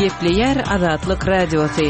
Gepleýär Azatlyk Radiosy.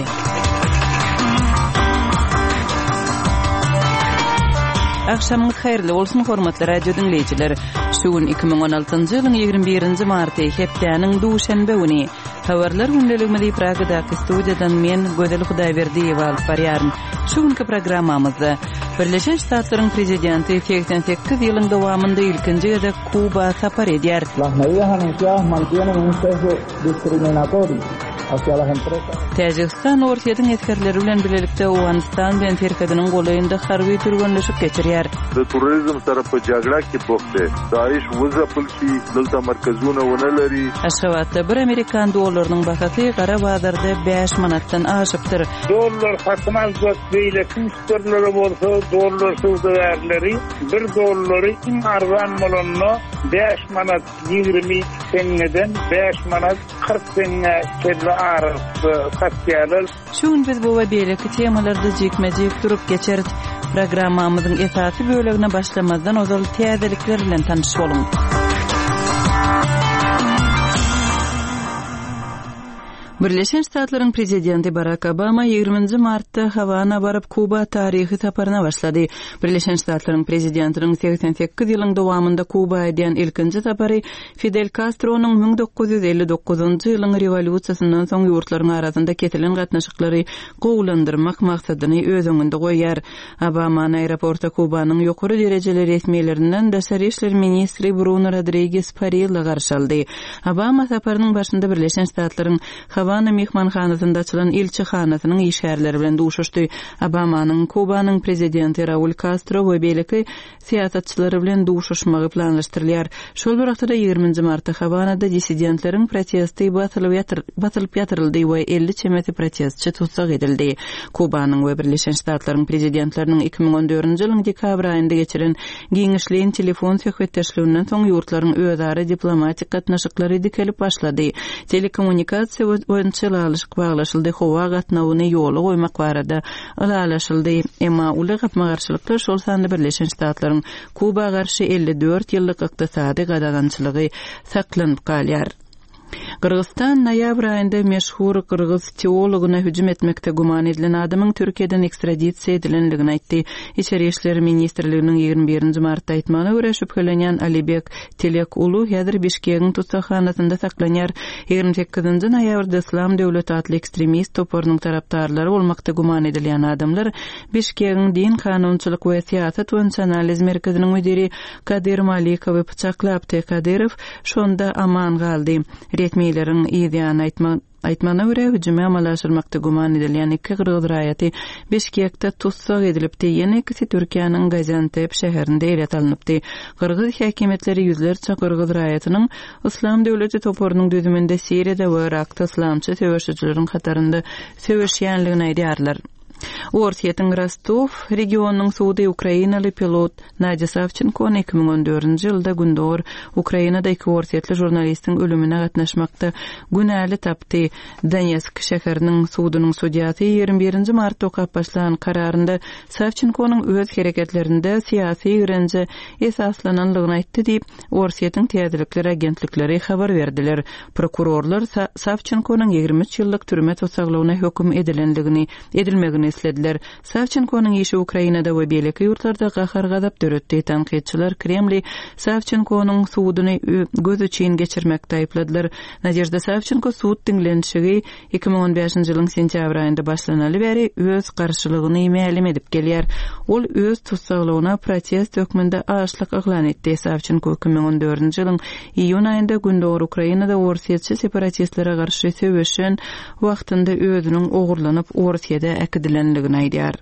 Agşamyňyz haýyrly bolsun, hormatly radio diňleýjiler. Şu gün 2016-njy ýylyň 21-nji marty, hepdäniň duşenbe güni. Habarlar gündeligimizi Pragadaky studiýadan men, Gözel Hudaýberdiýewa alyp barýaryn. Şu günki programmamyzda Birleşen Ştatlaryň Prezidenti 88 ýylyň dowamynda ilkinji gezek Kuba sapar edýär. Las medidas anunciadas mantienen un sesgo discriminatorio hacia las empresas. Täjigistan Orsýetiň esgerleri bilen bilelikde Owganystan bilen serhediniň golaýynda harby türgenleşik geçirýär. د تروریزم سره په جګړه کې بوخت دی، داعش وځپل شي، دلته مرکزونه ونه لري. Aşgabatda bir amerikan dollarynyň bahasy gara bazarda bäş manatdan aşypdyr. Dollar satyn aljak beýleki müşderilere bolsa dollar söwdagärleri bir dollary iň arzan bolanda bäş manat 20 teňňeden bäş manat 40 teňňä çenli aralykda satýarlar. Şu gün biz bu we beýleki temalarda jikme-jik durup geçeris. Programmamyzyň esasy bölegine başlamazdan ozal täzelikler bilen tanyş boluň. Birleşen Ştatlaryň Prezidenti Barak Obama ýigriminji martda Hawana baryp, Kuba taryhy saparyna başlady. Birleşen Ştatlaryň Prezidentiniň 88 ýylyň dowamynda Kuba edýän ilkinji sapary Fidel Kastronyň 1959-njy ýylyň rewolýusiýasyndan soň ýurtlaryň arasynda kesilen gatnaşyklary gowulandyrmak maksadyny öz öňünde goýýar. Obamany aeroportda Kubanyň ýokary derejeli resmilerinden daşary işler ministri Bruno Rodriges Parilla garşy aldy. Obama saparynyň başynda Birleşen Ştatlaryň Hawana myhmanhanasynda açylan ilçihanasynyň işgärleri bilen duşuşdy. Obamanyň Kubanyň prezidenti Raul Kastro we beýleki syýasatçylary bilen duşuşmagy planlaşdyrylýar. Şol bir wagtda-da ýigriminji martda Hawanada dissidentleriň protesti basylyp ýatyryldy we 50 çemesi protestçi tussag edildi. Kubanyň we Birleşen Ştatlaryň prezidentleriniň 2014-nji ýylyň dekabr aýynda geçiren giňişleýin telefon söhbetdeşliginden soň ýurtlaryň özara diplomatik gatnaşyklary dikelip başlady. Telekommunikasiýa boýunça ylalaşyk baglaşyldy, howa gatnawyny ýola goýmak barada ylalaşyldy. Emma uly gapma-garşylyklar, şol sanda Birleşen Ştatlaryň Kuba garşy 54 ýyllyk ykdysady gadagançylygy saklanyp galýar. Gyrgyzystan noýabr aýynda meşhur gyrgyz teologyna hüjüm etmekde güman edilen adamyň Türkiýeden ekstradisiýa edilendigini aýtdy. Içeri işler ministrliginiň 21-nji martda aýtmagyna görä, şübhelenýän Alibek Tilek Ulu häzir Bişkegiň tussaghanasynda saklanýar. 28-nji noýabrda Yslam döwleti atly ekstremist toparynyň tarapdarlary bolmakda güman edilýän adamlar Bişkegiň din, kanunçylyk we syýasat boýunça analiz merkeziniň müdiri Kadyr Malikowy pyçaklapdy. Kadyrow şonda aman galdy. Resmileriň yzýany aýtmagyna görä, hüjümi amala aşyrmakda güman edilýän iki gyrgyz raýaty Bişkekde tussag edilipdi, ýene ikisi Türkiýäniň Gaziantep şäherinde ele salnypdy. Gyrgyz häkimiýetleri ýüzlerçe gyrgyz raýatynyň Yslam döwleti toparynyň düzüminde Siriýada we Yrakda yslamçy söweşijileriň hatarynda söweşýänligini aýdýarlar. Orsýetiň Rostow regionynyň sudy ukrainaly pilot Nadýa Sawçenkony 2014-nji ýylda Gündogar Ukrainada iki orsýetli žurnalistiň ölümine gatnaşmakda günäli tapdy. Donetsk şäheriniň sudunyň sudýasy 21-nji martda okap başlan kararynda Sawçenkonyň öz hereketlerinde syýasy ýigrenje esaslananlygyny aýtdy diýip, Orsýetiň täzelikler agentlikleri habar berdiler. Prokurorlar Sawçenkonyň 23 ýyllyk türme tussaglygyna höküm edilendigini edilmegini islediler. Sawçenkonyň işi Ukrainada we beýleki ýurtlarda gahar-gazap döretdi. Tankytçylar Kremli Sawçenkonyň suduny göz üçin geçirmekde aýypladylar. Nadežda Sawçenko sud diňlenişigi 2015-nji ýylyň sentýabr aýynda başlanaly bäri öz garşylygyny mälim edip gelýär. Ol öz tussaglygyna protest hökmünde açlyk yglan etdi. Sawçenko 2014-nji ýylyň iýun aýynda gündogar Ukrainada orsýetçi separatistlere garşy söweşen wagtynda özüniň ogurlanyp Orsýede äkidilendigini aýdýar.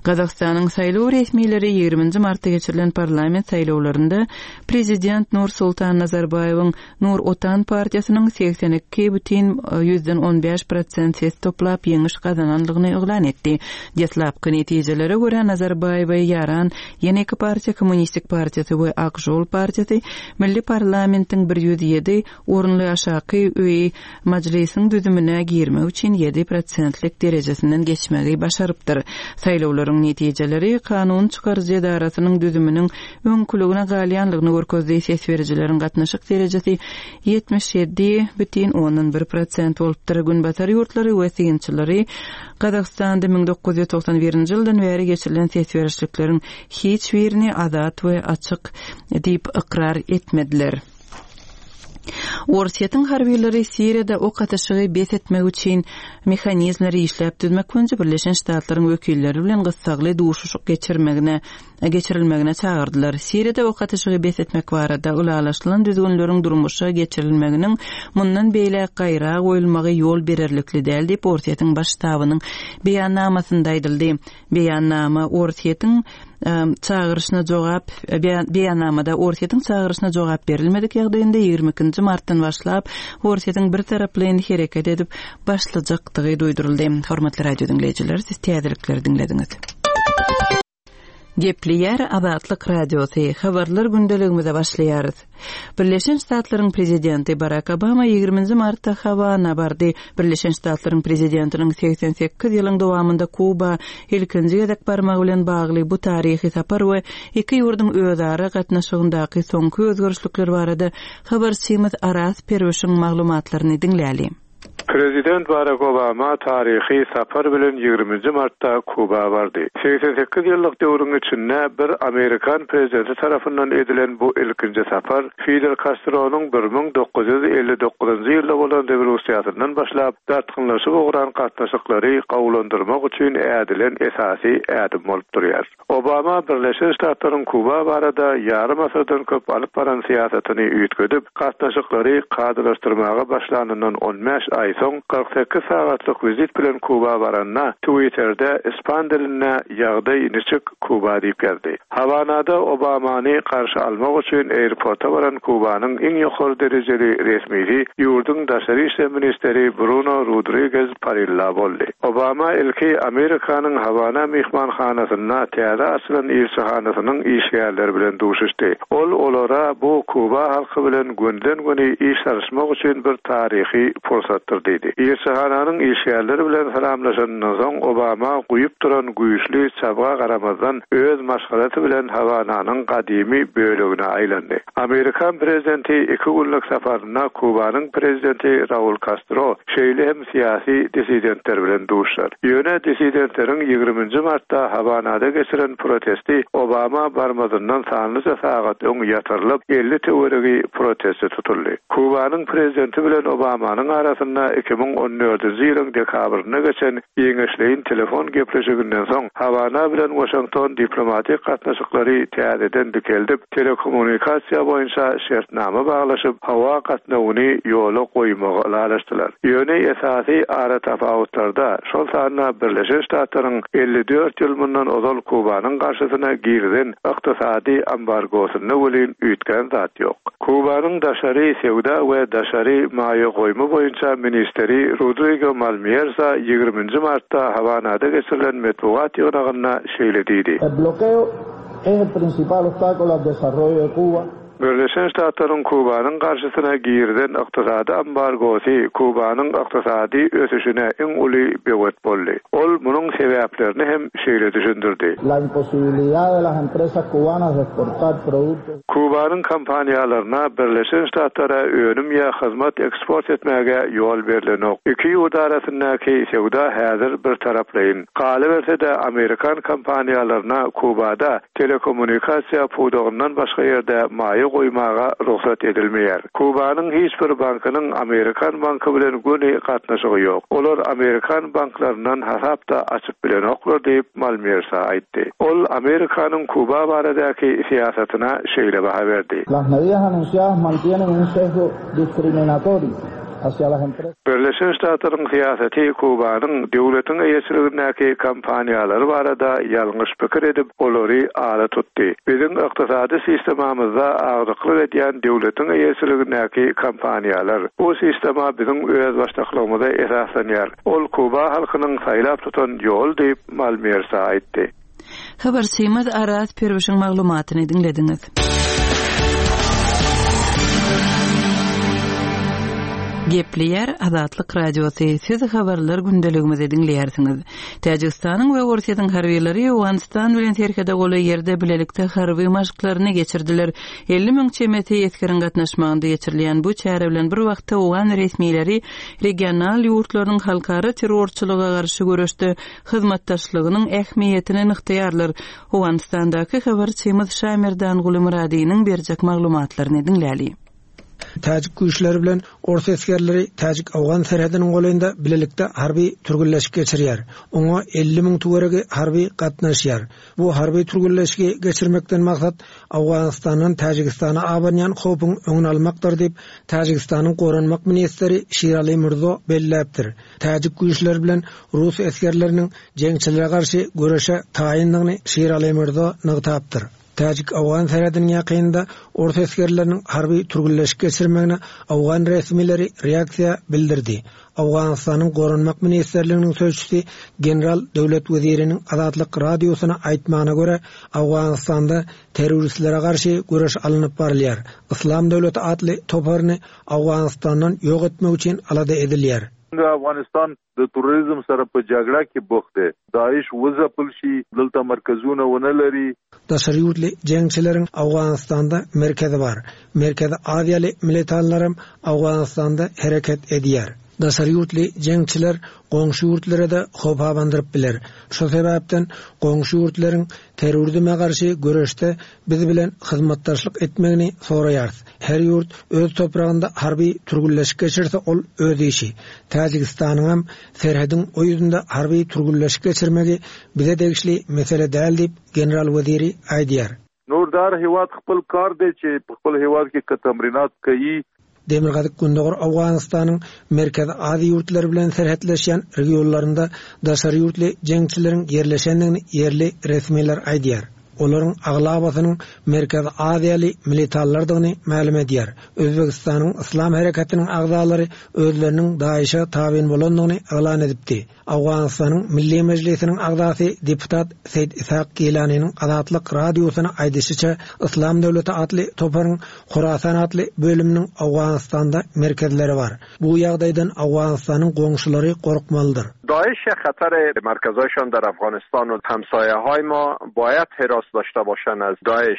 Gazagystanyň saýlaw resmileri ýigriminji martda geçirilen parlament saýlawlarynda prezident Nursultan Nazarbaýewiň Nur Otan partiýasynyň 82 bütin ýüzden on bäş prosent ses toplap ýeňiş gazanandygyny yglan etdi. Deslapky netijelere görä, Nazarbaýewe ýaran ýene iki partiýa Kommunistik partiýasy we Ak žol partiýasy milli parlamentiň 107 orunly aşaky öýi Majlisiň düzümine girmek üçin ýedi prosentlik derejesinden geçmegi başarypdyr. Saýlawlaryň. Olaryň netijeleri kanun çykaryjy edarasynyň düzüminiň öňküligine galýanlygyny görkezdi, ses berijileriň gatnaşyk derejesi 77,1 prosent bolupdyr. Günbatar ýurtlary we synçylary Gazagystanda 1991-nji ýyldan bäri geçirilen ses berişlikleriň hiç birini azat we açyk diýip ykrar etmediler. Orsýetiň harbylary Siriýada ok atyşygy bes etmek üçin mehanizmleri işläp düzmek boýunça Birleşen Ştatlaryň wekilleri bilen gyssagly duşuşyk geçirmegine geçirilmegine çagyrdylar. Siriýada ok atyşygy bes etmek barada ylalaşylan düzgünleriň durmuşa geçirilmeginiň mundan beýläk gaýra goýulmagy ýol bererlikli däl diýip, Orsýetiň Baş ştabynyň beýannamasynda aýdyldy. Beýannama Orsýetiň çagyryşyna jogap Beýannamada Orsýetiň çagyryşyna jogap berilmedik ýagdaýynda 22-nji martdan başlap Orsýetiň birtaraplaýyn hereket edip başlajakdygy duýduryldy. Hormatly radio diňleýjiler, siz täzelikleri diňlediňiz. Gepleýär Azatlyk Radiosy, Habarlar gündeligimize başlaýarys. Birleşen Ştatlaryň prezidenti Barak Obama ýigriminji martda Hawana bardy. Birleşen Ştatlaryň prezidentiniň 88 ýylyň dowamynda Kuba ilkinji gezek barmagy bilen bagly bu taryhy sapar we iki ýurduň özara gatnaşygyndaky soňky özgerişlikler barada habarçymyz Araz Perwişiň maglumatlaryny diňläli. Prezident Barak Obama taryhy sapar bilen ýigriminji martda Kuba bardy. 88 ýyllyk döwrüň içinde bir amerikan prezidenti tarapyndan edilen bu ilkinji sapar Fidel Kastronyň 1959-njy ýylda bolan rewolýusiýasyndan başlap dartgynlaşyp ugran gatnaşyklary gowulandyrmak üçin ädilen esasy ädim bolup durýar. Obama Birleşen Ştatlaryň Kuba barada ýarym asyrdan köp alyp baran syýasatyny üýtgedip, gatnaşyklary kadalaşdyrmaga başlanyndan on bäş aý soň 48 sagatlyk wizit bilen Kuba baranda, Twitterde ispan dilinde Ýagdaý niçik, Kuba diýip ýazdy. Hawanada Obamany garşy almak üçin airporta baran Kubanyň iň ýokary derejeli resmisi ýurduň daşary işler ministri Bruno Rodrigez Parilla boldy. Obama ilki Amerikanyň Hawana myhmanhanasynda täze açylan ilçihanasynyň işgärleri bilen duşuşdy. Ol olara bu Kuba halky bilen gönüden-göni iş salyşmak üçin bir taryhy pursatdyr diýdi. Ilçihananyň işgärleri bilen salamlaşanyndan soň Obama guýup duran güýçli çabga garamazdan öz maşgalasy bilen Hawananyň gadymy bölegine aýlandy. Amerikan prezidenti iki günlük saparynda Kubanyň prezidenti Raul Kastro, şeýle hem syýasy dissidentler bilen duşar. Ýöne dissidentleriň ýigriminji martda Hawanada geçiren protesti Obama barmazyndan sanlyja sagat öň ýatyrylyp, 50 töweregi protestçi tutuldy. Kubanyň prezidenti bilen Obamanyň arasynda 2014-nji ýylyň dekabrynda geçen giňişleýin telefon gepleşiginden soň, Hawana bilen Waşington diplomatik gatnaşyklary täzeden dikeldip, telekommunikasiýa boýunça şertnama baglaşyp, howa gatnawyny ýola goýmagy ylalaşdylar. Ýöne esasy aratapawutlarda, şol sanda Birleşen Ştatlaryň 54 ýyl mundan ozal Kubanyň garşysyna girizen ykdysady ambargosynda welin üýtgän zat ýok. Kubanyň daşary söwda we daşary maýa goýumy boýunça ministri Rodrigo Malmýerza ýigriminji martda Hawanada geçirilen metbugat ýygnagynda şeýle diýdi. Es el principal obstáculo al desarrollo de Cuba. Birleşen Ştatlaryň Kubanyň garşysyna girizen ykdysady ambargosy Kubanyň ykdysady ösüşine iň uly böwet boldy. Ol munuň sebäplerini hem şeýle düşündirdi. La imposibilidad de las empresas cubanas de exportar productos. Kubanyň kompaniýalaryna Birleşen Ştatlara önüm ýa hyzmat eksport etmäge ýol berlenok. Iki ýurt arasyndaky söwda häzir birtaraplaýyn. Galyberse-de, amerikan kompaniýalaryna Kubada telekommunikasiýa pudagyndan başga ýerde maýa goýmaga rugsat edilmeýär. Kubanyň hiç bir bankynyň amerikan banky bilen göni gatnaşygy ýok. Olar amerikan banklaryndan hasap-da açyp bilenoklar diýip, Malmýersa aýtdy. Ol Amerikanyň Kuba baradaky syýasatyna şeýle baha berdi. Las medidas anunciadas mantienen un sesgo discriminatorio hacia las empresas. Birleşen Ştatlaryň syýasaty Kubanyň döwletiň eýeçiligindäki kompaniýalary barada ýalňyş pikir edip, olary ala tutdy. Biziň ykdysady sistemamyzda agdyklyk edýän döwletiň eýeçiligindäki kompaniýalar. Bu sistema biziň özbaşdaklygymyza esaslanýar. Ol kuba halkynyň saýlap tutan ýoly diýip, Malmersa aýtdy. Habarçymyz Araz Perwişiň maglumatyny diňlediňiz. Gepleýär Azatlyk Radiosy, siz habarlar gündeligimizi diňleýärsiňiz. Täjigistanyň we Orsýetiň harbylary Owganystan bilen serhede golaý ýerde bilelikde harby maşklaryny geçirdiler. 50 müň çemesi esgeriň gatnaşmagynda geçirilýän bu çäre bilen bir wagtda owgan resmileri regional ýurtlarynyň halkara terrorçylyga garşy göreşde hyzmatdaşlygynyň ähmiýetini nygtaýarlar. Owganystandaky habarçymyz Şamerdanguly Myradynyň berjek maglumatlaryny diňläli. Täjik güýçleri bilen ors esgerleri täjik-owgan serhediniň golaýynda bilelikde harby türgenleşik geçirýär. Oňa 50 müň töweregi harby gatnaşýar. Bu harby türgenleşigi geçirmekden maksat Owganystandan Täjigistana abanýan howpuň öňüni almakdyr diýip, Täjigistanyň goranmak ministri Şirali Mürzo belläpdir. Täjik güýçleri bilen rus esgerleriniň jeňçilere garşy göreşe taýyndygyny Şirali Mürzo nygtapdyr. Täjik-owgan serhediniň ýakynynda ors esgerleriniň harby türgenleşik geçirmegine owgan resmileri reaksiýa bildirdi. Owganystanyň Goranmak ministrliginiň sözçüsi general Döwlet Weziriniň Azatlyk Radiosyna aýtmagyna görä, Owganystanda terroristlere garşy göreş alnyp barylýar. Yslam döwleti atly toparyny Owganystandan ýok etmek üçin alada edilýär. افغانستان د تروریزم سره په جګړه کې بوخت دی، داعش وځپل شي، دلته مرکزونه ونه لري. Daşary ýurtly jeňçileriň Owganystanda merkezi bar. Merkezi Aziýaly militanlaram Owganystanda hereket edýär. Daşary ýurtly jeňçiler goňşy ýurtlara-da howp abandyryp biler. Şo sebäpden goňşy ýurtlaryň terrorizme garşy göreşde biz bilen hyzmatdaşlyk etmegini soraýarys. Her ýurt öz topragynda harby türgünleşik geçirse ol öz işi. Täjigistanyňam serhediň o ýüzünde harby türgünleşik geçirmegi bize degişli mesele däl diýip, general Weziri aýdýar. نور د هر هیواد خپل کار دی چې په خپل هیواد کې که تمرینات کوي. Demirgazyk-Gündogar Owganystanyň Merkezi Aziýa ýurtlary bilen serhetleşýän regionlarynda daşary ýurtly jeňçileriň ýerleşendigini ýerli resmiler aýdýar. Olaryň aglabasynyň Merkezi Aziýaly militanlardygyny mälim edýär. Özbegistanyň Yslam hereketiniň agzalary özleriniň DAIŞ-e tabyn bolandygyny yglan edipdi. Owganystanyň Milli Mejlisiniň agzasy deputat Seýd Ishak Gilanynyň Azatlyk Radiosyna aýdyşyça, Yslam döwleti atly toparyň Horasan atly bölüminiň Owganystanda merkezleri bar. Bu ýagdaýdan Owganystanyň goňşulary gorkmalydyr. داعش خطر مرکزهایشان در افغانستان و همسایه های ما باید حراس داشته باشند از داعش.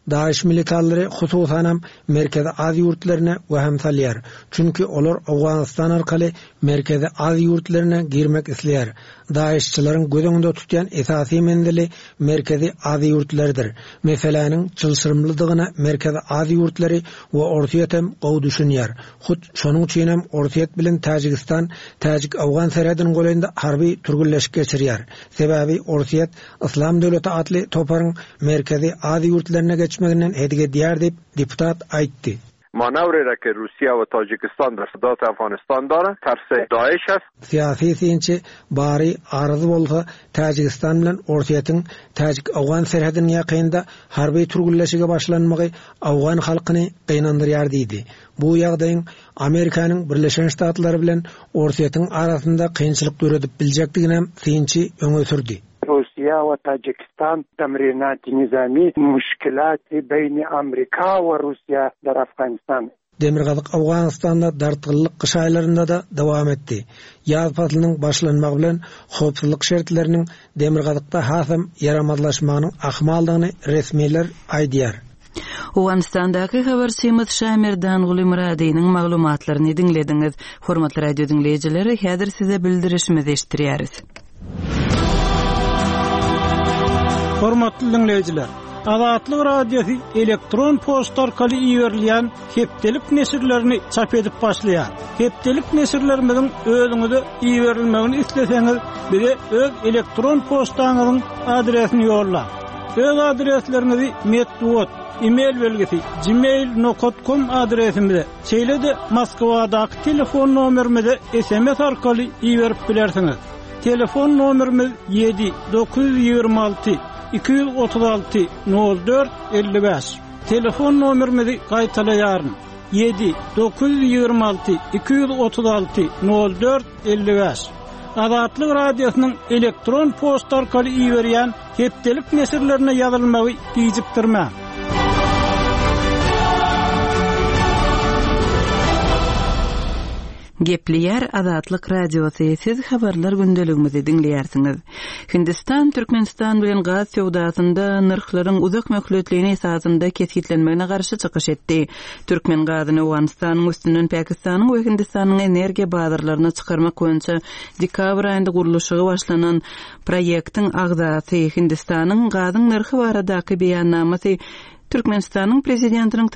Daeş militanlary hususanam Merkezi Aziýa ýurtlaryna wehim salýar. Çünki olar Owganystan arkaly Merkezi Aziýa ýurtlaryna girmek isleýär. Daeşçileriň göz öňünde tutýan esasy menzili Merkezi Aziýa ýurtlarydyr. Meseläniň çylşyrymlydygyna Merkezi Aziýa ýurtlary we Orsýet hem gowy düşünýär. Hut şonuň üçinem Orsýet bilen Täjigistan täjik-owgan serhediniň golaýynda harby türgenleşik geçirýär. Sebäbi Orsýet Yslam döwleti atly toparyň Merkezi Aziýa ýurtlaryna geçmeginden hedik edýär diýip, deputat aýtdy. مانوری را که روسیه و تاجیکستان در سدات افغانستان دارند ترس داعش است. Syýasy synçy Bary Aryz bolsa Täjigistan bilen Orsýetiň täjik-owgan serhediniň ýakynynda harby türgenleşige başlanmagy owgan halkyny gynandyrýar diýdi. Bu ýagdaýyň Amerikanyň Birleşen Ştatlary bilen Orsýetiň arasynda kynçylyk döredip biljekdiginem synçy öňe sürdi. روسیه و تاجکستان تمرینات نظامی مشکلات بین امریکا و روسیه در افغانستان. Demirgazyk Owganystanda dartgynlyk gyş aýlarynda-da dowam etdi. Ýaz paslynyň başlanmagy bilen howpsuzlyk şertleriniň demirgazykda hasam ýaramazlaşmagynyň ahmaldygyny resmiler aýdýar. Owganystandaky habarçymyz Şamerdanguly Myradynyň maglumatlaryny diňlediňiz. Hormatly radio diňleýjiler, häzir size bildirişimizi eşitdirýäris. Hormatly diňleýjiler, Azatlyk Radiosy elektron poçta arkaly iberilýän hepdelik neşirlerini çap edip başlaýar. Hepdelik neşirlerimiziň özüňize iberilmegini isleseňiz, bize öz elektron poçtaňyzyň adresini ýollaň. Öz adresleriňizi metbugat, e-mail belgisi gmail nokat kom adresimize, şeýle-de Moskwadaky telefon nomerimize sms arkaly iberip bilersiňiz. Telefon nomerimiz ýedi 926 236 04 55. Telefon nomerimizi gaýtalaýaryn, ýedi 926 236 04 55. Azatlyk Radiosynyň elektron poçta arkaly iberýän Hepdelik neşirlerine ýazylmagy gijikdirmäň. Gepleýär Azatlyk Radiosy, siz habarlar gündeligimizi diňleýärsiňiz. Hindistan Türkmenistan bilen gaz söwdasynda nyrhlaryň uzak möhletleýin esasynda kesgitlenmegine garşy çykyş etdi. Türkmen gazyny Owganystanyň üstünden Pakistanyň we Hindistanyň energiýa bazarlaryna çykarmak boýunça dekabr aýynda gurluşygy başlanan proýektiň agzasy Hindistanyň gazyň nyrhy baradaky beýannamasy Türkmenistanyň Prezidentiniň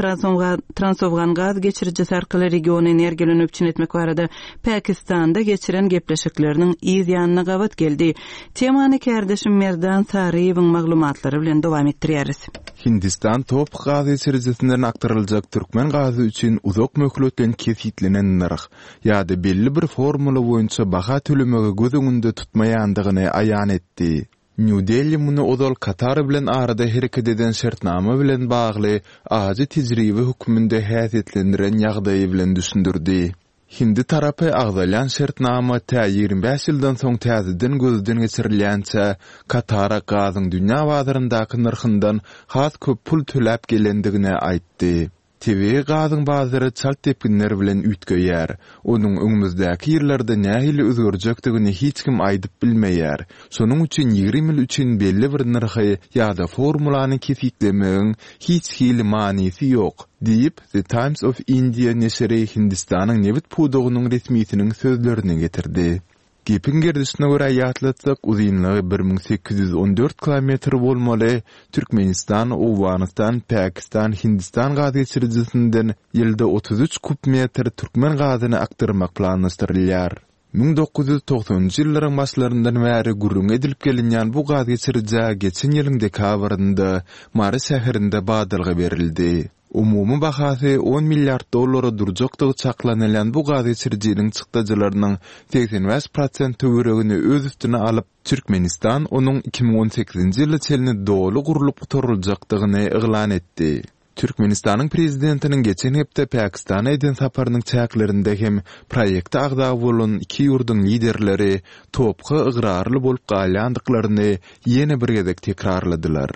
Transowgan gaz geçirijisi arkaly regiony energiýa bilen üpjün etmek barada Pakistanda geçiren gepleşikleriniň yz ýanyna gabat geldi. Temany kärdeşim Merdan Saryýewiň maglumatlary bilen dowam etdirýäris. Hindistan TOPH gaz geçirijisinden akdyryljak türkmen gazy üçin uzak möhletleýin kesgitlenen nyrh ýa-da belli bir formula boýunça baha tölemegi göz öňünde tutmaýandygyny aýan etdi. Nýu-Deli muny ozal Katar bilen arada hereket eden şertnama bilen bagly ajy tejribe hökmünde häsiýetlendiren ýagdaýy bilen düşündirdi. Hindi tarapy agzalýan şertnama tä 25 ýyldan soň täzeden gözden geçirilýänçä Katara gazyň dünýä bazaryndaky nyrhyndan has köp pul töläp gelendigini aýtdy. Tebigy gazyň bazary çalt depginler bilen üýtgeýär. Onuň öňümizdäki ýyllarda nähili özgerjekdigini hiç kim aýdyp bilmeýär. Şonuň üçin 20 ýyl üçin belli bir nyrhy ýa-da formulany kesgitlemegiň hiç hili manysy ýok, diýip, The Times of India neşiri Hindistanyň nebit pudagynyň resmisiniň sözlerini getirdi. Gepiň gerdişine görä ýatlatsak, uzynlygy 1814 kilometr bolmaly Türkmenistan, Owganystan, Pakistan, Hindistan gazgeçirijisinden ýylda 33 kub metr türkmen gazyny akdyrmak planlaşdyrylýar. 1990-njy ýyllaryň başlaryndan bäri gürrüňi edilip gelinýän bu gazgeçirijä geçen ýylyň dekabrynda Mary şäherinde badalga berildi. Umumy bahasy on milliard dollara durjakdygy çaklanylýan bu gazgeçirijiniň çykdajylarynyň 85 prosent töweregini öz üstüne alyp, Türkmenistan onuň 2018-nji ýyla çenli doly gurlup gutaryljakdygyny yglan etdi. Türkmenistanyň Prezidentiniň geçen hepde Pakistana eden saparynyň çäklerinde hem proýekte agza bolan iki ýurduň liderleri TOPH-a ygrarly bolup galýandyklaryny ýene bir gezek tekrarladylar.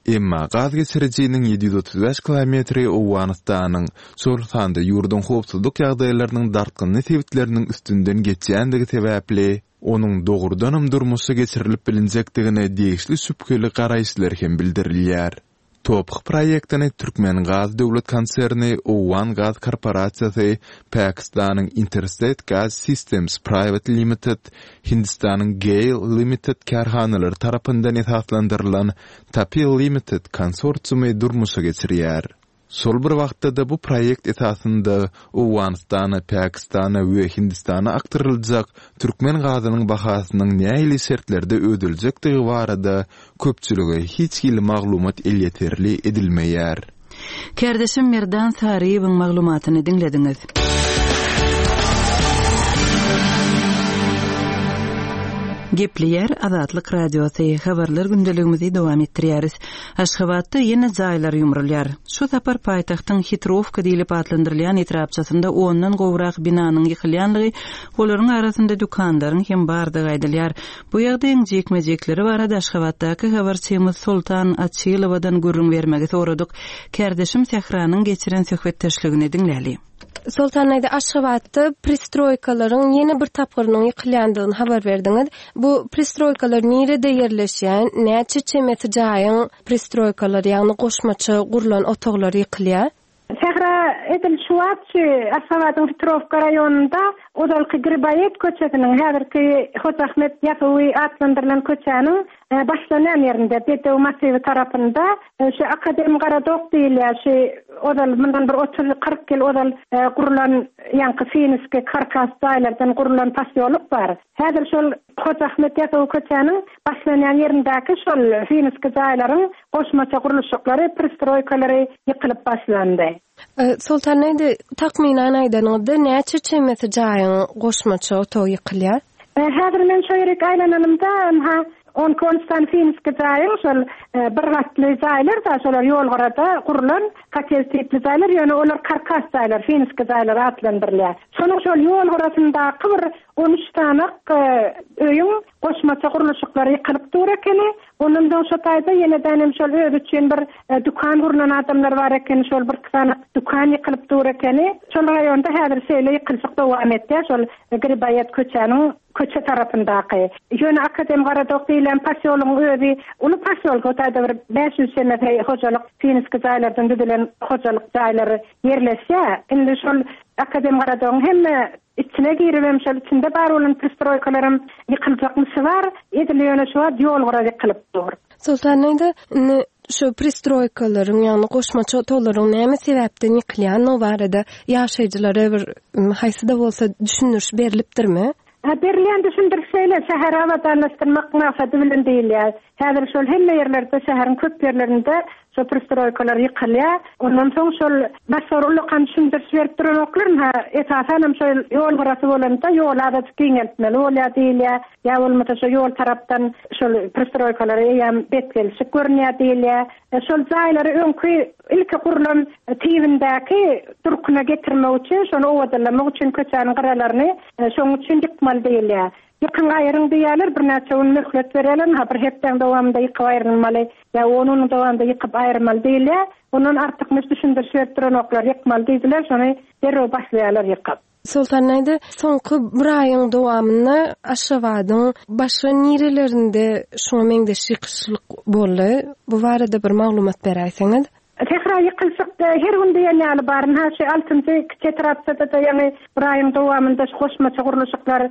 Emma gaz geçirijiniň 735 kilometri Owganystanyň, şol sanda ýurduň howpsuzlyk ýagdaýlarynyň dartgynly sebitleriniň üstünden geçýändigi sebäpli, onuň dogrudanam durmuşa geçirilip bilinjekdigine degişli şübheli garaýyşlar hem bildirilýär. TOPH proýektini Türkmengaz döwlet konserni, Owgan gaz korporasiýasy, Pakistanyň Interstate Gas Systems Private Limited, Hindistanyň Gail Limited kärhanalary tarapyndan esaslandyrylan Tapi Limited konsorsiumy durmuşa geçirýär. Şol bir wagtda-da bu proýekt esasynda Owganystana, Pakistana we Hindistana akdyryljak türkmen gazynyň bahasynyň nähili şertlerde ödeljekdigi barada köpçülige hiç hili maglumat elýeterli edilmeýär. Kärdeşim Merdan Saryýewiň maglumatyny diňlediňiz. Gepleýär Azatlyk Radiosy, Habarlar gündeligimizi dowam etdirýäris. Aşgabatda ýene jaýlar ýumrulýar. Şu sapar paýtagtyň Hitrowka diýlip atlandyrylýan etrapçasynda ondan gowrak binanyň ýykylýanlygy, olaryň arasynda dükanlaryň hem bardygy aýdylýar. Bu ýagdaýyň jikme-jikleri barada Aşgabatdaky habarçymyz Soltan Açylowadan gürrüň bermegi soradyk. Kärdeşim Sähranyň geçiren söhbetdeşligini diňläli. Soltan daýza, Aşgabatda pristroýkalaryň ýene bir tapgyrynyň ýykylýandygyny habar berdiňiz. Bu pristroýkalar nirede ýerleşýär? Näçe çemesi jaýyň pristroýkalary, ýagny goşmaça gurlan otaglary ýykylýar? Sähra edil şu wagt şu Aşgabadyň Hitrowka raýonynda ozalky Griboýed köçesiniň, häzirki Hoja Ahmet Ýasawy atlandyrylan köçäniň başlanýan ýerinde, Bedew massiwi tarapynda şu Akademgorodok diýilýär, şu ozal mundan bir otuz-kyrk ýyl ozal gurlan ýaňky finski karkas jaýlardan gurlan posýolok bar. Häzir şol Hoja Ahmet Ýasawy köçäniň başlanýan ýerindäki şol finski jaýlaryň goşmaça gurluşyklary, pristroýkalary ýykylyp başlandy. Soltan indi takmynan aýdanyňyzda näçe çemesi jaýyň goşmaça otagy ýykylýar? Häzir men şo ýerik aýlananymda, ynha, On iki-on üç sany finski jaýyň şol bir gatly jaýlar-da, şolar ýolgyrada gurlan kotej tipli jaýlar, ýöne olar karkas jaýlar, finski jaýlar atlandyrylýar. Şonuň şol ýol gyrasyndaky bir on üç sanak öýüň goşmaça gurluşyklary ýykylyp dur ekeni. Ondan soň şo taýda ýenedänem şol özi üçin bir dükan gurnan adamlar bar ekeni, şol birki sanak dükan ýykylyp dur ekeni. Şol raýonda häzir şeýle ýykylyşyk dowam etýär, şol Griboýed köçäniň köçe tarapyndaky. Ýöne Akademgorodok diýilýän posýologyň özi uly posýolk, o taýda bir 500 çemesi hojalyk finski jaýlardan düzülen hojalyk jaýlary ýerleşýär. Indi şol Akademgorodogyň hemme içine giribem şol içinde bar bolan pristroýkalaram ýykyljakmyşy bar. Edil ýöne şu wagt ýol gyra ýykylyp dur. Soltan indi indi şu pristroýkalaryň, ýagny goşmaça otaglaryň näme sebäpden ýykylýandygy barada ýaşaýjylara bir haýsy-da bolsa düşündiriş berlipdirmi? Berilýän düşündiriş şeýle, şäheri abadanlaşdyrmak maksady bilen diýilýär. Häzir şol hemme ýerlerde, şäheriň köp ýerlerinde şo pristroýkalar ýykylýar. Ondan soň şol başga bir ullakan düşündiriş berip duranoklar. Ynha, esasanam şo ýol gyrasy bolanda ýoly azajyk giňeltmeli bolýar diýilýär. Ýa bolmasa şo ýol tarapdan şol pristroýkalara eýýäm betgelşik görünýär diýilýär. Şol jaýlary öňki ilki gurlan tibindäki durkuna getirmek üçin, şony owadanlamak üçin köçäniň gyralaryny şonuň üçin ýykmaly diýilýär. Ýykyň aýryň diýýärler, birnäçe gün möhlet berýärler, ynha bir hepdäň dowamynda ýykyp aýrylmaly ýa on günüň dowamynda ýykyp aýyrmaly diýilýär. Ondan artykmaç düşündiriş berip duranoklar, ýykmaly diýdiler, şony derrew başlaýarlar ýykyp. Soltan aýda, soňky bir aýyň dowamynda Aşgabadyň başga nirelerinde şuňa meňzeş ýykyşlyk boldy? Bu barada bir maglumat beräýseňiz. Sähra ýykylyşyk her gün diýen ýaly bar. Ynha, şu altynjy kiçi etrapçada-da ýaňy bir aýyň dowamynda şu goşmaça gurluşyklar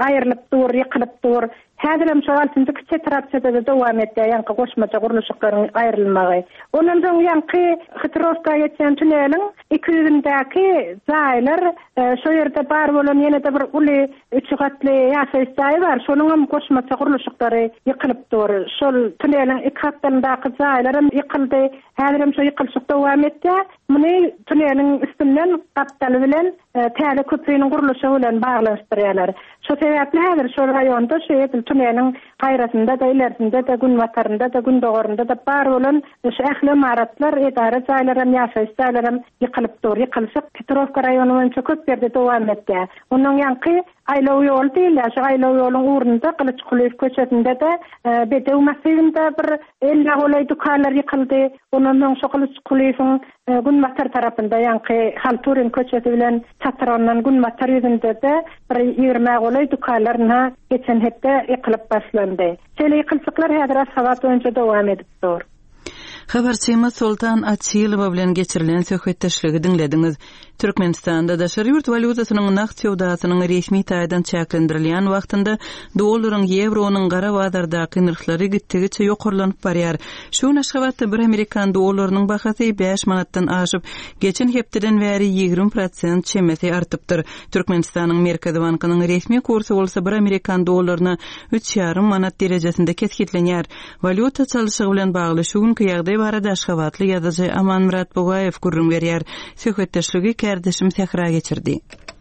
aýrylyp dur, ýykylyp dur. Häzirem şo altynjy kiçi etrapçada-da dowam edýär ýaňky goşmaça gurluşyklaryň aýrylmagy. Ondan soň ýaňky Hytrowka geçýän tuneliň iki ýüzündäki jaýlar, şo ýerde bar bolan ýene-de bir uly üç gatly ýaşaýyş jaýy bar, şonuňam goşmaça gurluşyklary ýykylyp dur. Şol tuneliň iki gapdalyndaky jaýlaram ýykyldy. Häzirem şo ýykylyşyk dowam edýär. Muny tuneliň üstünden gapdaly bilen täze köpriniň gurluşygy bilen baglanyşdyrýarlar. Şo sebäpli häzir şol raýonda şu edil tuneliň gaýrasynda-da, ilersinde-de, günbatarynda-da, gündogarynda-da bar bolan şu ähli ymaratlar, edara jaýlaram, ýaşaýyş jaýlaram ýykylyp dur. Ýykylyşyk Petrowka raýony boýunça köp ýerde dowam edýär. Onnoň ýaňky aýlaw ýoly diýilýär, şu aýlaw ýoluň ugrunda Gylyç Kulyýew köçesinde-de, Bedew massiwinde bir ellä golaý dükanlar ýykyldy. Ondan soň şu Gylyç Kulyýewiň Günbatar tarapynda, ýaňky Halturin köçesi bilen çatyrygyndan günbatar ýüzünde-de bir ýigrimä golaý dükanlar ynha geçen hepde ýykylyp başlandy. Şeýle ýykylyşyklar häzir Aşgabat boýunça dowam edip dur. Habarçymyz Soltan Açylowa bilen geçirilen söhbetdeşligi diňlediňiz. Türkmenistanda daşary ýurt walýutasynyň nagt söwdasynyň resmi taýdan çäklendirilýän wagtynda dollaryň, ýewronyň gara bazardaky nyrhlary gitdigiçe ýokarlanyp barýar. Şu gün Aşgabatda bir amerikan dollarynyň bahasy bäş manatdan aşyp, geçen hepdeden bäri 20 prosent çemesi artypdyr. Türkmenistanyň Merkezi bankynyň resmi kursy bolsa bir amerikan dollaryna üç ýarym manat derejesinde kesgitlenýär. Walýuta çalşygy bilen bagly şu günki ýagdaý barada aşgabatly ýazyjy Amanmyrat Bugaýew gürrüň berýär. Söhbetdeşligi kärdeşim Sähra geçirdi.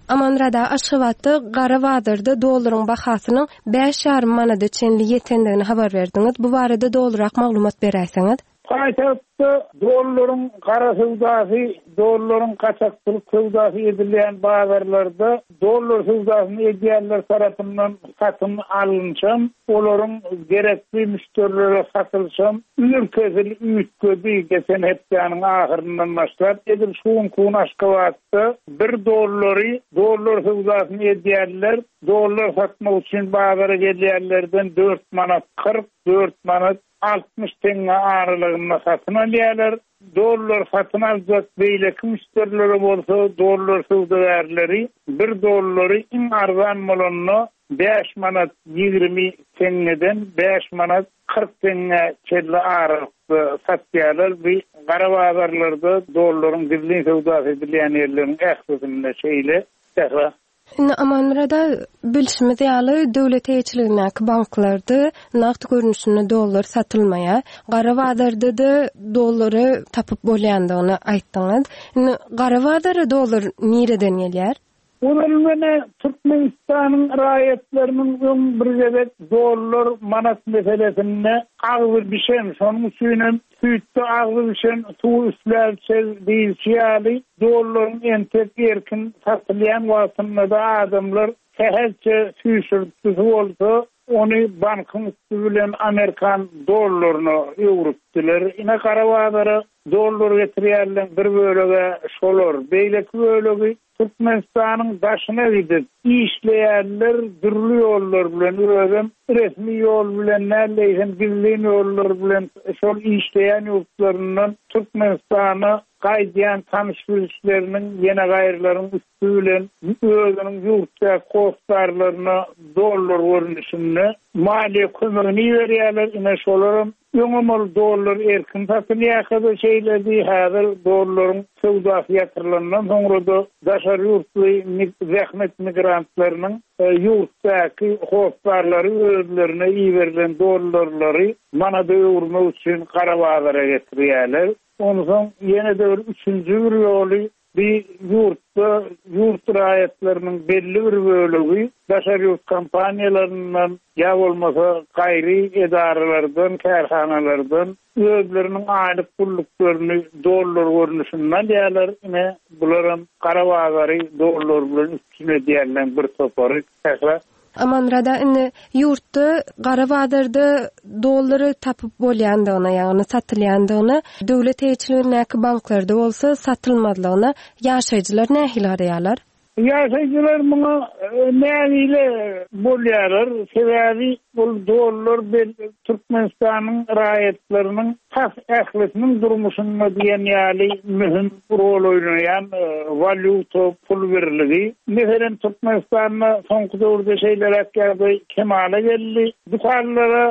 Amanmyrat aga, Aşgabatda gara bazarda dollaryň bahasynyň bäş ýarym manada çenli ýetendigini habar berdiňiz. Bu barada dolurak maglumat beräýseňiz? Paýtagtda dollaryň gara söwdasy, dollaryň gaçakçylyk söwdasy edilýän bazarlarda dollar söwdasyny edýänler tarapyndan satyn alynşam, olaryň gerekli müşderilere satylyşam ürkesil üýtgedi geçen hepdäniň ahyryndan başlap, edil şu günki gün Aşgabatda bir dollary dollar söwdasyny edýänler dollar satmak üçin bazara gelýänlerden dört manat 40, dört manat 60 teňňe aralygynda satyn alýarlar. Dollar satyn aljak beýleki müşderilere bolsa dollar söwdagärleri bir dollary iň arzan bolanda bäş manat 20 teňňeden bäş manat 40 teňňä çenli aralykda satýarlar. Bu gara bazarlarda dollaryň gizlin söwdasy edilýän ýerleriň ählisinde şeýle. Sähra. Indi Amanmyrat aga, bilşimiz ýaly, döwlet eýeçiligindäki banklarda nagt görnüşinde dollar satylmaýar. Gara bazarda-da dollary tapyp bolýandygyny aýtdyňyz. Indi gara bazara dollar nireden gelýär? Ozal menä Türkmenistanyň raýatlarynyň öň bir gezek dollar, manat meselesinde agzy bişen, şonuň üçinem süýtde agzy bişen suwy üfläp içer diýilşi ýaly, dollaryň entek erkin satylýan wagtynda-da adamlar sähelçe süýşürintgisi bolsa, ony bankyň üsti bilen amerikan dollaryna öwrüpdiler. Ine, gara bazara dollar getirýänleň bir bölegi-ä şolar, beýleki bölegi Türkmenistanyň daşyna gidip işleýänler dürli ýollar bilen, özem resmi ýol bilen däl-de, eýsem gizlin ýollar bilen şol işleýän ýurtlaryndan Türkmenistana gaýdýan tanyş-bilişleriniň, ýene gaýrylaryň üsti bilen özüniň ýurtdaky hossarlaryna dollar görnüşinde maliýe kömegini iberýärler, ine şolaram Öňem ol dollar erkin satylýarka-da şeýledi, häzir dollaryň söwdasy ýatyrylandan soňra-da daşary ýurtly zähmet migrantlarynyň ýurtdaky hossarlary özlerine iberilen dollarlary manada öwürmek üçin gara bazara getirýärler. Onsoň ýene-de bir üçünji bir ýoly Bi ýurtda ýurt raýatlarynyň belli bir bölegi daşary ýurt kompaniýalaryndan ýa bolmasa gaýry edaralardan, kärhanalardan özleriniň aýlyk pulluklaryny dollar görnüşinde alýarlar. Ine, bularam gara bazary dollar bilen üpjün edýänleň bir topary. Sähra. Amanmyrada indi ýurtda gara bazarda dollary tapyp bolýandygyna, ýagny satylýandygyna, döwlet eýeçiligindäki banklarda bolsa satylmazlygyna ýaşaýjylar nähili garaýarlar? Ýaşaýjylar muňa nägile bolýarlar, sebäbi ol dollar Türkmenistanyň raýatlarynyň tas ählisiniň durmuşynda diýen ýaly möhüm rol oýnaýan walýuta pul birligi. Meselem, Türkmenistanda soňky döwürde şeýleräk ýagdaý kemala geldi. Dükanlara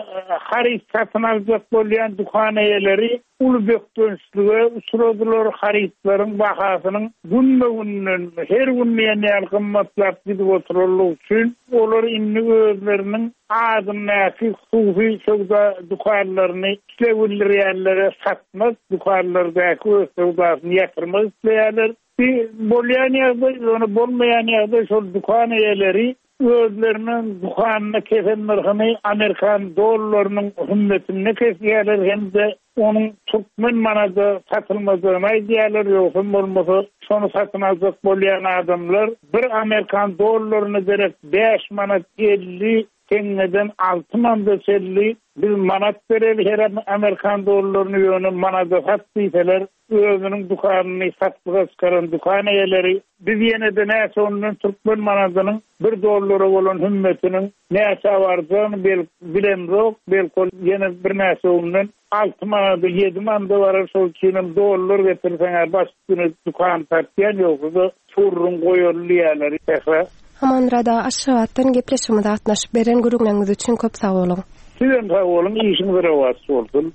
haryt satyn aljak bolýan dükan eýeleri uly bökdençlige uçradylar, harytlaryň bahasynyň günbe-günden, her gün diýen ýaly gymmatlap gidip oturanlygy üçin, olar indi özleriniň adyndaky hususy söwda dükanlaryny isleg bildirýänlere satmak, dükanlardaky öz söwdasyny ýatyrmak isleýärler. Bir bolýan ýagdaý, ýöne bolmaýan ýagdaý şol dükan eýeleri özleriniň dükanyna kesen nyrhyny amerikan dollarynyň hümmetinde kesýärler hem-de onuň türkmen manada satylmajagyny aýdýarlar, ýogsam bolmasa şony satyn aljak bolýan adamlar bir amerikan dollaryna derek bäş manat 50 teňňeden alty manada çenli biz manat bereli her amerikan dollaryny ýöne manada sat diýseler özüniň dükanyny satlyga çykaran dükan eýeleri biz ýene-de näçe ondan türkmen manadynyň bir dollara bolan hümmetiniň näçä barjagyny bilemzok belki ol ýene birnäçe günden alty manada ýedi manada barar şol üçinem dollar getirseň-ä baş üstüne dükan satýan ýogsa-da Surruň goýaly diýýärler Sähra. Amanmyrat aga Aşgabatdan gepleşigimize gatnaşyp beren gürrüňleriňiz üçin köp sag boluň. Sizem sag boluň işiňiz rowaç bolsun.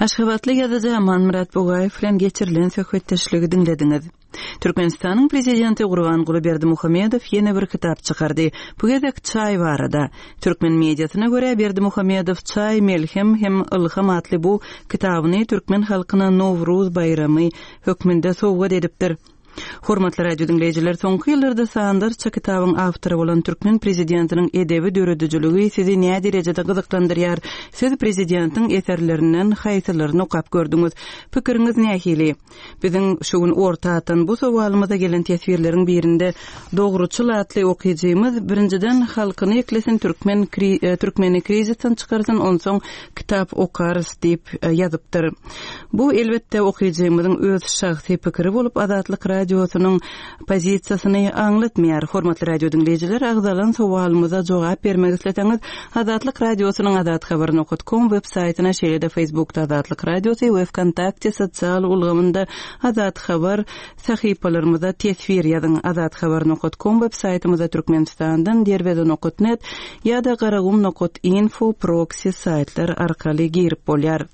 Aşgabatly ýazyjy Amanmyrat Bugaýew bilen geçirilen söhbetdeşligi diňlediňiz. Türkmenistanyň Prezidenti Gurbanguly Berdimuhamedow ýene bir kitap çykardy. Bu gezek çaý barada. Türkmen mediasyna görä, Berdimuhamedow Çaý, melhem hem ylham atly bu kitabyny türkmen halkyna Nowruz baýramy hökmünde sowgat edipdir. Hormatly radio diňleýjiler, soňky ýyllarda sanlarça kitabyň awtory bolan türkmen prezidentiniň edebi döredijiligi sizi näderejede gyzyklandyrýar? Siz prezidentiň eserlerinden haýsylaryny okap gördüňiz? Pikiriňiz nähili? Biziň şu gün orta atan bu sowalymyza gelen teswirleriň birinde Dogruçyl atly okyjymyz, Birinjiden halkyny eklesin türkmen türkmeni krizisden çykarsyn onsoň kitap okarys diýip ýazypdyr. Bu, elbetde, okyjymyzyň öz şahsy pikiri bolup, Azatlyk Radiosynyň pozisiýasyny aňlatmaýar. Hormatly radio diňleýjiler, agzalan sowalymyza jogap bermek isleseňiz, Azatlyk Radiosynyň azathabar nokat kom web saýtyna, şeýle-de Facebookda Azatlyk Radiosy we Wkontakte sosial ulgamynda Azathabar sahypalarymyza teswir ýazyň. Azathabar nokat kom web saýtymyza Türkmenistandan derweze nokat net ýa-da garagum nokat info proksi saýtlar arkaly girip bolýar.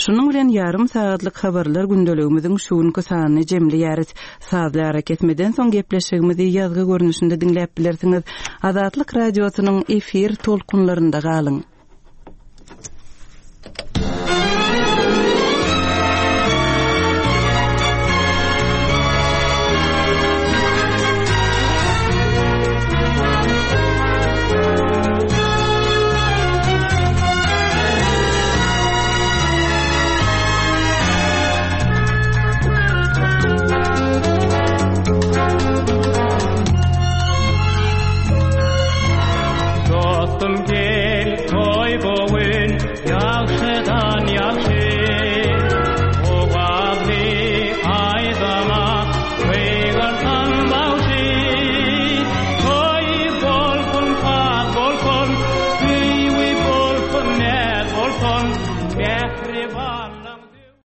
Şunuň bilen ýarym sagatlyk habarlar gündeligimiziň şu günki sanyny jemleýäris. Sazly arakesmeden soň gepleşigimizi ýazgy görnüşinde diňläp bilersiňiz. Azatlyk Radiosynyň efir tolkunlarynda galyň!